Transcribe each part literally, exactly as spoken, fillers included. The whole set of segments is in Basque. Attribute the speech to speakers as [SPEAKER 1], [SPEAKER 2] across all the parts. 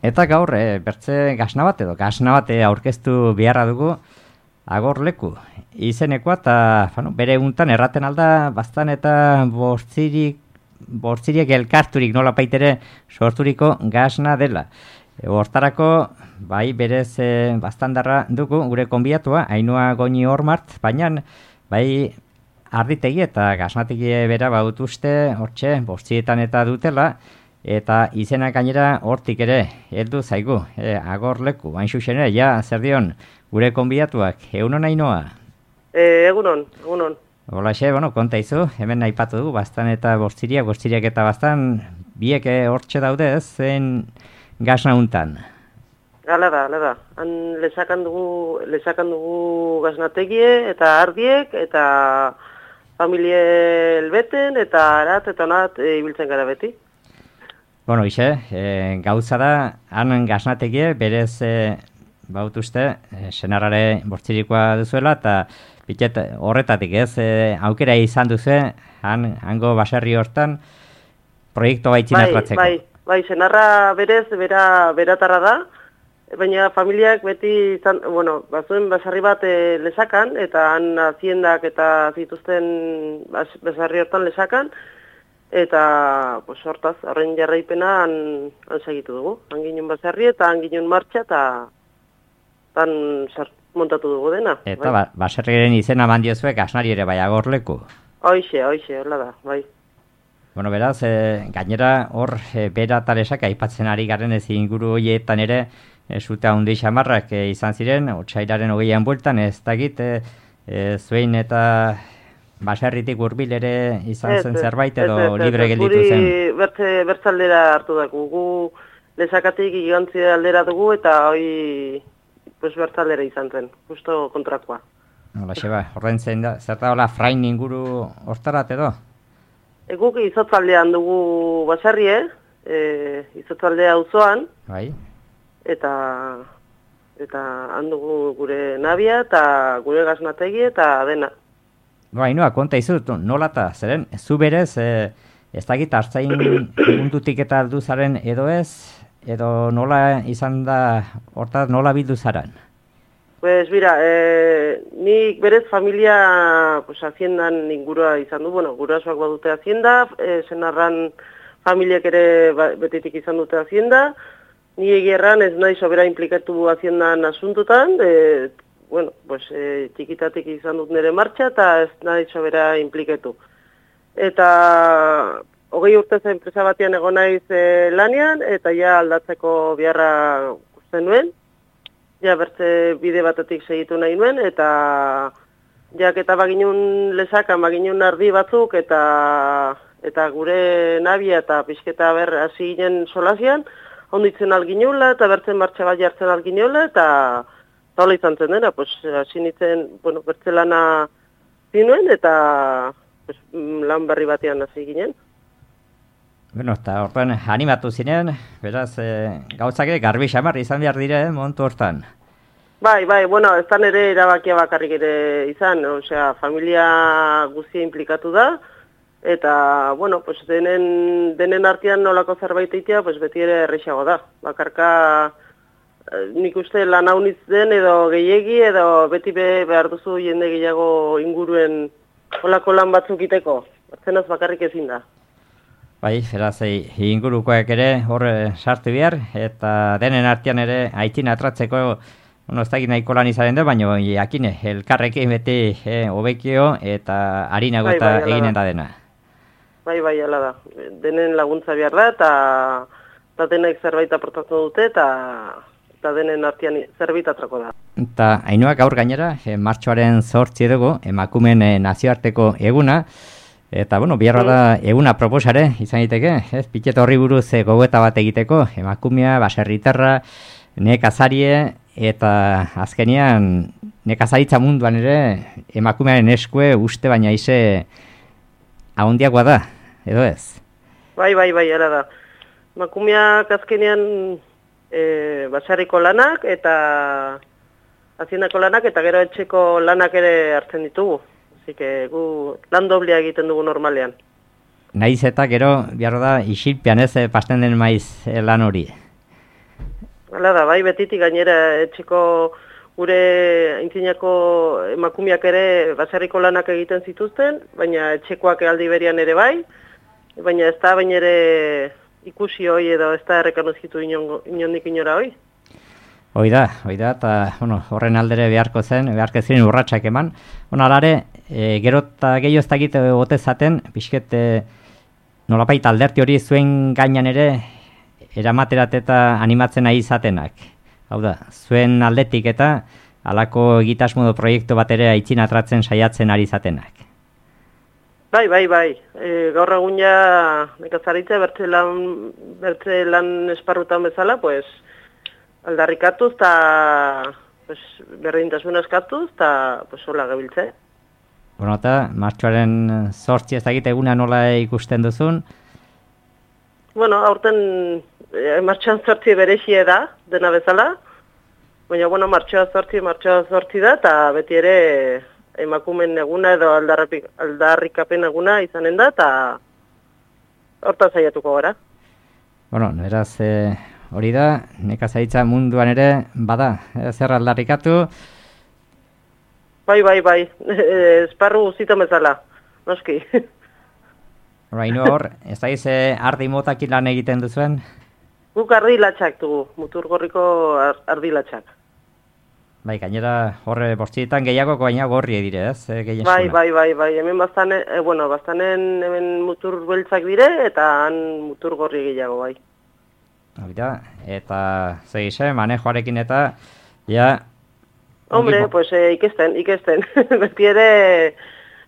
[SPEAKER 1] Eta gaur, e, bertze gasna bat edo gasna bat aurkeztu beharra dugu Agorleku izenekoa, eta bueno, bere eguntan erraten alda bastan eta bortzirik, bortziriek elkarturik nola paitere sorturiko gasna dela. E, hortarako, bai berez e, bastandarra dugu gure konbiatua, Ainhoa Goñi Ormart, baina bai arditegi eta gasnategi bera bautuzte hortxe bortzietan eta dutela, eta izenak gainera hortik ere heldu zaigu, e, Agorleku, hain zuzen ere, ja, zer dion, gure konbidatuak, egunon Ainhoa?
[SPEAKER 2] E, egunon, egunon.
[SPEAKER 1] Holaxe, bueno, konta izu, hemen aipatu dugu, bastan eta bortziriak, bortziriak eta bastan, biek hortxe daude, zen gasna untan.
[SPEAKER 2] Hala da, hala da. Han lesakan dugu, lesakan dugu gasnategie eta ardiek, eta familie elbeten, eta arat, eta onat, e, ibiltzen gara beti.
[SPEAKER 1] Bueno, ise, e, gauza da, han gasnategie, berez e, bautuzte, e, senarrare bortzirikoa duzuela, eta pitet horretatik ez, e, aukera izan duzu, han, hango baserri hortan, proiektu baitzina atratzeko.
[SPEAKER 2] Bai, bai, bai, senarra berez, bera, beratarra da, baina familiak beti, izan, bueno, bazuen baserri bat e, lesakan, eta han haziendak eta zituzten bas, baserri hortan lesakan, eta pues, hortaz, horren jarraipena han, han segitu dugu. Han ginen baserri eta han ginen martxa eta han montatu dugu dena.
[SPEAKER 1] Eta bai. ba, baserriaren izena mandiozuek gasnari ere bai Agorleku.
[SPEAKER 2] Hoixe, hoixe, hola da, bai.
[SPEAKER 1] Bueno, beraz, e, gainera hor e, bera talesak aipatzen ari garen ez inguru horietan ere e, zute handi xamarrak e, izan ziren, otsailaren hogeian bueltan, ez dakit, e, e, zuen eta baserritik hurbil ere izan zen zerbait edo
[SPEAKER 2] ez, ez,
[SPEAKER 1] libre
[SPEAKER 2] ez,
[SPEAKER 1] gelditu zen?
[SPEAKER 2] Guri bertze, bertzaldera hartu dugu, gu lesakatik igantzi aldera dugu eta hoi pues, bertzaldera izan zen, justo kontrakoa.
[SPEAKER 1] Hola, xeba, horren zen da, zer da hola frain inguru hortarat edo?
[SPEAKER 2] E, guk izotzaldean dugu baserri, e, izotzaldea auzoan,
[SPEAKER 1] Bai.
[SPEAKER 2] eta eta han dugu gure nabia eta gure gasnategi eta dena.
[SPEAKER 1] No, Ainhoa, konta izut, nola eta, zeren, zu berez, e, ez dakit hartzain mundutik eta aldu zaren edo ez, edo nola izan da, hortaz nola bildu zaren?
[SPEAKER 2] Pues mira, e, nik berez familia, pues, haziendan ingurua izan du, bueno, gurasoak badute hazienda, e, senarran familiak ere ba, betitik izan dute hazienda, ni egierran ez nahi sobera implikatu haziendan asuntutan, e, bueno, pues, e, txikitatik izan dut nire martxa eta ez nahi sobera impliketu. Eta hogei urtez enpresa batean egon naiz e, lanean, eta ja aldatzeko beharra usten nuen, ja bertze bide batetik segitu nahi nuen, eta jak eta baginun lesakan, baginun ardi batzuk, eta eta gure nabia eta pixketa ber hasi ginen solazian, onditzen alginula, eta bertzen martxa bat jartzen alginula, eta hola izan zen dena, pues, hasi nintzen, bueno, bertzelana zinuen, eta pues, lan berri batean hasi ginen.
[SPEAKER 1] Bueno, eta horren animatu zinen, beraz, e, gauzak garbi xamar izan behar dire, eh, momentu hortan.
[SPEAKER 2] Bai, bai, bueno, ez da nire erabakia bakarrik ere izan, osea, familia guztia implikatu da, eta, bueno, pues, denen, denen artean nolako zerbait eitea, pues, beti ere errexago da. Bakarka, nik uste lan hauniz den edo gehiegi edo beti be behar duzu jende gehiago inguruen olako lan batzuk iteko. Zenaz bakarrik ezin da.
[SPEAKER 1] Bai, beraz, ingurukoak ere hor sartu behar, eta denen artean ere aitzin atratzeko, bueno, ez dakit nahiko lan izaren da, baina jakine, elkarrekin beti eh, hobekio eta harinago
[SPEAKER 2] bai,
[SPEAKER 1] eta
[SPEAKER 2] bai,
[SPEAKER 1] eginen da dena.
[SPEAKER 2] Bai, bai, ala da. Denen laguntza behar da, eta, eta denek zerbait aportatzen dute, eta eta denen artean zerbait atrako da.
[SPEAKER 1] Eta Ainhoa gaur gainera, eh, martxoaren zortzi dugu, emakumen eh, nazioarteko eguna, eta, bueno, biharra da eguna proposare, izan egiteke, ez, pitet horri buruz eh, gogoeta bat egiteko, emakumea, baserritarra, nekazarie, eta azkenian nekazaritza munduan ere emakumearen eskue uste baina ize ahondiagoa da, edo ez?
[SPEAKER 2] Bai, bai, bai, ara da. Emakumeak azkenean e, basarriko lanak eta haziendako lanak eta gero etxeko lanak ere hartzen ditugu. Así que gu lan doblea egiten dugu normalean.
[SPEAKER 1] Naiz eta gero behar da isilpean ez pasten den maiz lan hori.
[SPEAKER 2] Hala da, bai, betitik gainera etxeko gure aintzinako emakumeak ere baserriko lanak egiten zituzten, baina etxekoak aldi berian ere bai, baina ez da baina ere ikusi hoi edo ez da errekanozitu inondik inora hoi.
[SPEAKER 1] Hoi da, hoi da, eta bueno, horren aldere beharko zen, beharko ziren urratsak eman. Bueno, alare, e, gero eta gehiago ez dakit bote zaten, pixket e, nolapait alderti hori zuen gainan ere eramaterat eta animatzen nahi izatenak. Hau da, zuen aldetik eta halako egitasmodo proiektu bat ere aitzin atratzen saiatzen ari izatenak.
[SPEAKER 2] Bai, bai, bai. E, gaur egun ja nekazaritza bertze lan, bertze lan esparrutan bezala, pues, aldarrikatuz eta pues, berdintasuna eskatuz eta pues, hola gabiltze.
[SPEAKER 1] Bueno, eta martxoaren zortzi ez dakit eguna nola ikusten duzun?
[SPEAKER 2] Bueno, aurten e, martxoan zortzi berexie da, dena bezala. Baina, bueno, martxoa zortzi, martxoa zortzi da, eta beti ere emakumen eguna edo aldarrikapen eguna izanen da, eta hortan saiatuko gara.
[SPEAKER 1] Bueno, beraz, e, hori da, nekazaritza munduan ere, bada, e, zer aldarrikatu?
[SPEAKER 2] Bai, bai, bai, e, esparru guztietan bezala, noski.
[SPEAKER 1] Horaino hor, ez da ize ardi motakin lan egiten duzuen?
[SPEAKER 2] Guk ardi latxak dugu, Muturgorriko ardi latxak.
[SPEAKER 1] Bai, gainera horre bortzietan gehiago baina gorri dire, ez? E,
[SPEAKER 2] bai, bai, bai, bai, hemen bastane, e, bueno, bastanen hemen mutur beltzak dire eta han mutur gorri gehiago, bai.
[SPEAKER 1] Hori eta zegize, manejoarekin eta, ja...
[SPEAKER 2] Hombre, pues eh, ikesten, ikesten. Beti ere,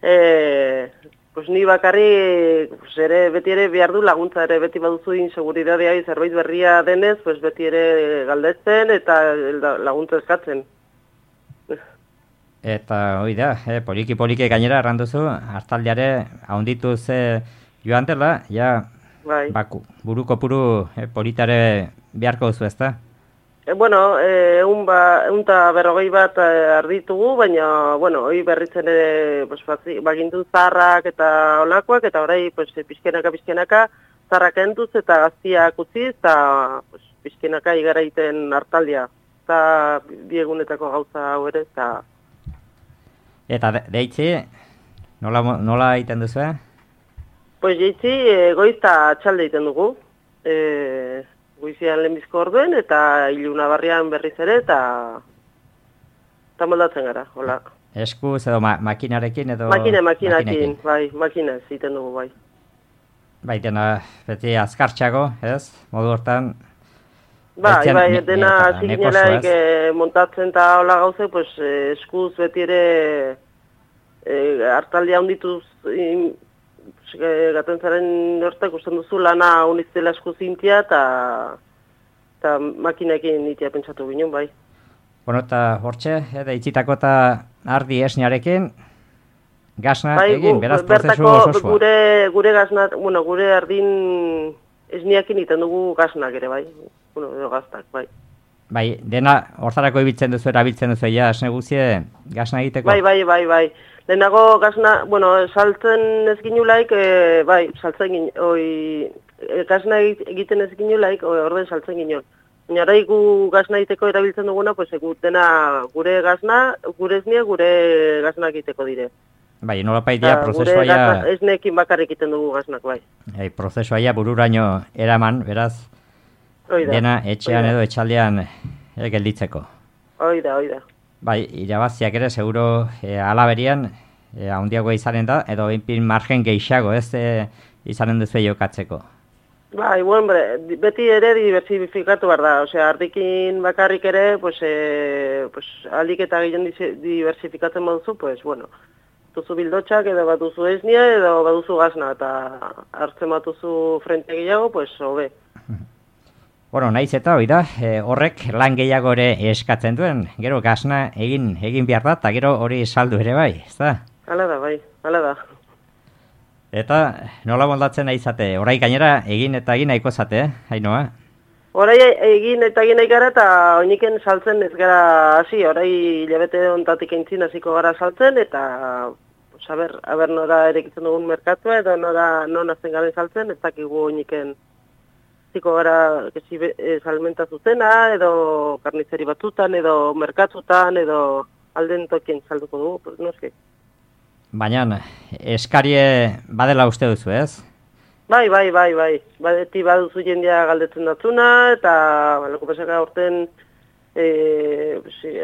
[SPEAKER 2] eh, pues ni bakarri, pues ere, beti ere behar du laguntza ere, beti baduzu inseguridadea zerbait berria denez, pues beti ere galdetzen eta laguntza eskatzen.
[SPEAKER 1] Eta hori da, eh, poliki-poliki gainera erranduzu, hartaldeare haunditu ze joan dela, ja,
[SPEAKER 2] bai.
[SPEAKER 1] Baku, buruko puru eh, politare beharko duzu ezta?
[SPEAKER 2] E, bueno, e, un ba, un ta berrogei bat e, arditugu, baina, bueno, hoi berritzen ere, pues, bagindu zarrak eta olakoak, eta orai, pues, pizkenaka, pizkenaka, zarrak entuz eta gaztiak utziz, eta, pues, pizkenaka igara iten hartaldia. Eta biegunetako gauza hau ere, eta...
[SPEAKER 1] Eta de, deitzi, nola, nola egiten duzu, eh?
[SPEAKER 2] Pues, deitzi, e, goizta txalde egiten dugu. E, Goizian lehenbizko orduen, eta iluna barrian berriz ere, eta eta moldatzen gara, hola.
[SPEAKER 1] Eskuz edo ma makinarekin edo...
[SPEAKER 2] Makine, makinarekin, bai, makinez egiten dugu, bai.
[SPEAKER 1] Bai, dena, beti azkartxago, ez? Modu hortan...
[SPEAKER 2] Bai, bai, dena ziginelaik e, montatzen eta hola gauze, pues, e, eskuz beti ere e, hartaldia handituz... Gatentzaren hortak usten duzu lana unitzela esku zintia eta makinekin itea pentsatu ginen, bai.
[SPEAKER 1] Bueno, eta hortxe, edo itxitako eta ardi esniarekin, gazna
[SPEAKER 2] bai,
[SPEAKER 1] egin,
[SPEAKER 2] gu,
[SPEAKER 1] beraz prozesu ososua.
[SPEAKER 2] Gure, gure gazna, bueno, gure ardin esniakin iten dugu gaznak ere, bai. Bueno, edo gaztak, bai.
[SPEAKER 1] Bai, dena hortarako ibiltzen duzu, erabiltzen duzu, ja, esne guzie, gazna egiteko?
[SPEAKER 2] Bai, bai, bai, bai. Lehenago gazna, bueno, saltzen ez ginulaik, e, bai, saltzen ginen, oi, e, gazna egiten ez ginulaik, orden saltzen ginen. Baina orai gu gazna egiteko erabiltzen duguna, pues, egu, dena gure gazna, gure esnia, gure gazna egiteko dire.
[SPEAKER 1] Bai, nolapaitea prozesua ja...
[SPEAKER 2] Gure esneekin bakarrik egiten dugu gaznak, bai.
[SPEAKER 1] Bai, prozesua ja bururaino eraman, beraz,
[SPEAKER 2] oida,
[SPEAKER 1] dena etxean
[SPEAKER 2] oida.
[SPEAKER 1] Edo etxaldean e, gelditzeko.
[SPEAKER 2] Oida, oida.
[SPEAKER 1] Bai, irabaziak ere, seguro e, alaberian, e, handiagoa izanen da, edo inpin margen gehiago, ez e, izanen duzu jokatzeko.
[SPEAKER 2] Bai, bueno, beti ere diversifikatu behar da, osea, ardikin bakarrik ere, pues, e, pues, aldik eta gehien diversifikatzen baduzu, pues, bueno, duzu bildotxak, edo bat duzu esnia, edo bat duzu gazna, eta hartzen bat duzu frente gehiago, pues, hobe.
[SPEAKER 1] Bueno, naiz eta hori da, e, horrek lan gehiago ere eskatzen duen, gero gazna egin egin behar da, eta gero hori saldu ere bai, ez da?
[SPEAKER 2] Hala da, bai, hala da.
[SPEAKER 1] Eta nola moldatzen nahi zate, orai gainera egin eta egin nahiko zate, eh? Hainoa?
[SPEAKER 2] Orai egin eta egin nahi gara, eta oiniken saltzen ez gara hasi, orai hilabete ontatik eintzin hasiko gara saltzen, eta pues, aber, aber nora erekitzen dugun merkatua, edo nora non azten garen saltzen, ez dakigu oiniken ziko gara kesi, e, salmenta zuzena, edo karnizeri batzutan, edo merkatutan, edo alden tokien salduko dugu, pues, noski.
[SPEAKER 1] Baina, eskarie badela uste duzu, ez?
[SPEAKER 2] Bai, bai, bai, bai. Badeti baduzu jendia galdetzen datzuna, eta, baloko pasaka urten, e,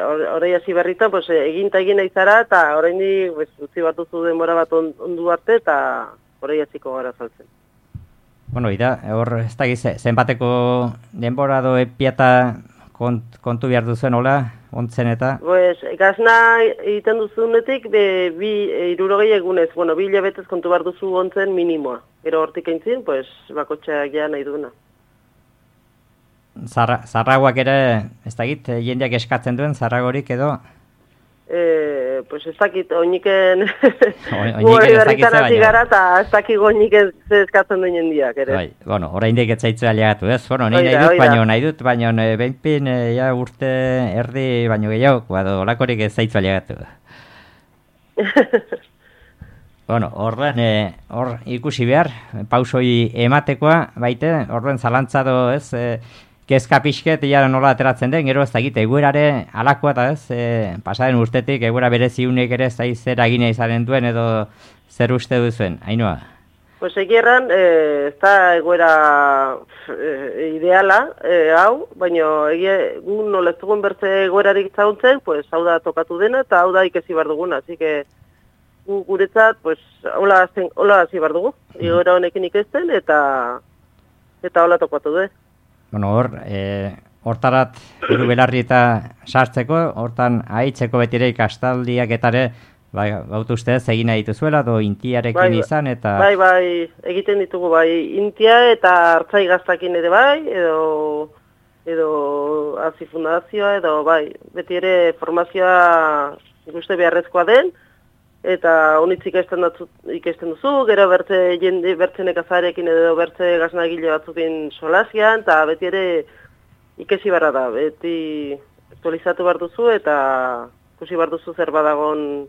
[SPEAKER 2] horrei hasi berrita, pues, eginta egin aizara, eta horrein pues, utzi bat duzu denbora bat on, ondu arte, eta horrei hasiko gara saltzen.
[SPEAKER 1] Bueno, ida, hor, ez da gize, zenbateko denbora do epiata kont, kontu behar duzuen, hola, ontzen eta?
[SPEAKER 2] Pues, gazna egiten duzunetik, be, bi, irurogei egunez, bueno, bi hilabetez kontu behar duzu ontzen minimoa. Gero hortik eintzin, pues, bakotxeak ja nahi duna.
[SPEAKER 1] Zarra, zarragoak ere, ez dakit, jendeak eskatzen duen, zarragorik edo?
[SPEAKER 2] E, pues ez dakit, oiniken
[SPEAKER 1] Oiniken ez dakit
[SPEAKER 2] hasi gara, eta ez dakit oiniken eskatzen duen jendiak, ere.
[SPEAKER 1] Bai, bueno, orain dek etzaitzu aliagatu, ez? Bueno, ni nahi dut, baino, nahi dut, baino, behinpin, ja urte erdi, baino gehiago, bado, olakorik ez zaitzu aliagatu. Bueno, horren, eh, hor ikusi behar, pausoi ematekoa, baite, horren zalantzado, ez, eh, kezka pixket, ja nola ateratzen den, gero ez da egite, eguerare alakoa eta ez, eh, pasaren urtetik, eguera bereziunek ere ez da zer agine izaren duen, edo zer uste duzuen, Ainhoa?
[SPEAKER 2] Pues egierran, eh, ez da eguera eh, ideala, eh, hau, baina egie, gu nola ez dugun bertze eguerarik zauntzen, pues hau da tokatu dena, eta hau da ikesi behar duguna, así que gu guretzat, pues, hola hasi behar dugu, egoera honekin ikesten, eta eta hola tokatu du.
[SPEAKER 1] Bueno, hor, e, hortarat, buru belarri eta sartzeko, hortan ahitzeko betire ikastaldiak etare, bai, gautu ustez, egin nahi dituzuela, do intiarekin
[SPEAKER 2] bai,
[SPEAKER 1] izan, eta...
[SPEAKER 2] Bai, bai, egiten ditugu, bai, intia eta hartzai gaztakin ere bai, edo, edo hazi fundazioa, edo, bai, beti ere formazioa ikuste beharrezkoa den, eta honitz ikesten, ikesten duzu, gero bertze jende bertzenek azarekin edo bertze gaznagile batzukin solasian, eta beti ere ikesi barra da, beti aktualizatu behar duzu, eta ikusi behar duzu zer badagon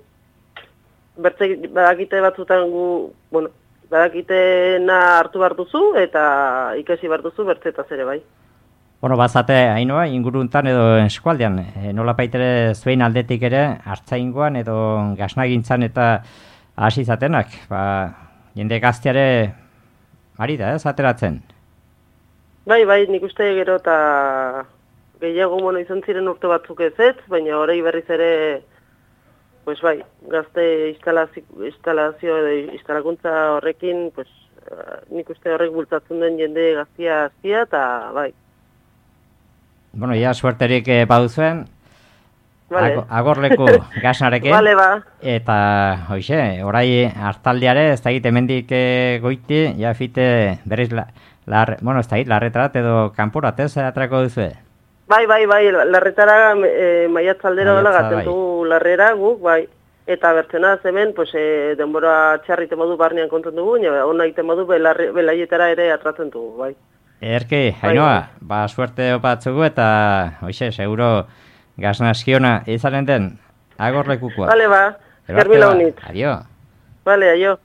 [SPEAKER 2] bertze badakite batzutan gu, bueno, badakitena hartu behar duzu, eta ikesi behar duzu bertzetaz ere bai.
[SPEAKER 1] Bueno, bazate, Ainhoa, inguruntan edo eskualdean, e, nola baitere zuen aldetik ere, hartzaingoan edo gaznagintzan eta hasi zatenak, ba, jende gazteare ari da, ez, ateratzen?
[SPEAKER 2] Bai, bai, nik uste gero eta gehiago mono izan ziren urte batzuk ez ez, baina horrei berriz ere, pues bai, gazte instalazio, instalazio edo instalakuntza horrekin, pues, nik uste horrek bultzatzen den jende gaztia aztia, eta bai.
[SPEAKER 1] Bueno, ja, suerterik eh, baduzuen, vale. Agorleku gaznarekin,
[SPEAKER 2] vale, ba.
[SPEAKER 1] Eta, hoxe, orai hartaldiare, ez da egite hemendik eh, goiti, ja fite berriz, la, lar, bueno, ez da egit, larretarat edo kanporat, ez, atrako duzue?
[SPEAKER 2] Bai, bai, bai, larretara e, maiatzaldera hola gaten du larrera guk, bai. Eta bertzena hemen, pues, e, denbora txarrite modu barnean konten dugu, ona egiten modu belaietara ere atratzen dugu, bai.
[SPEAKER 1] Erki, Ainhoa, ba, suerte opatzugu eta, hoxe, seguro gaznaskiona izanen den agorlekukoa.
[SPEAKER 2] Vale, ba, germila honit.
[SPEAKER 1] Adio.
[SPEAKER 2] Vale, aio.